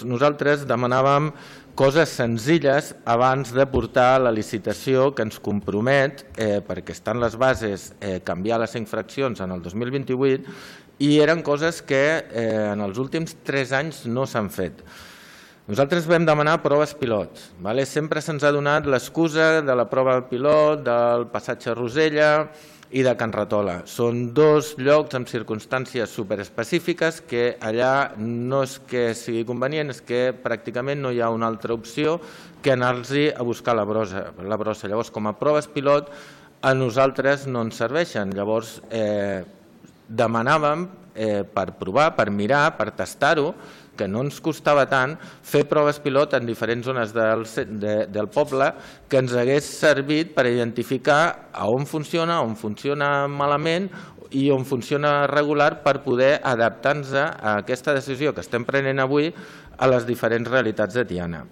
Nosaltres demanàvem coses senzilles abans de portar la licitació que ens compromet, perquè estan les bases, canviar les infraccions en el 2028 i eren coses que en els últims 3 anys no s'han fet. Nosaltres vam demanar proves pilot. Sempre se'ns ha donat l'excusa de la prova pilot, del passatge Rosella i de Can Ratola. Són 2 llocs amb circumstàncies superespecífiques que allà no és que sigui convenient, és que pràcticament no hi ha una altra opció que anar-los a buscar la brossa. Llavors, com a proves pilot, a nosaltres no ens serveixen. Llavors, demanàvem per provar, per mirar, per tastar-ho, que no ens costava tant fer proves pilot en diferents zones del poble que ens hagués servit per identificar on funciona malament i on funciona regular per poder adaptar-nos a aquesta decisió que estem prenent avui a les diferents realitats de Tiana.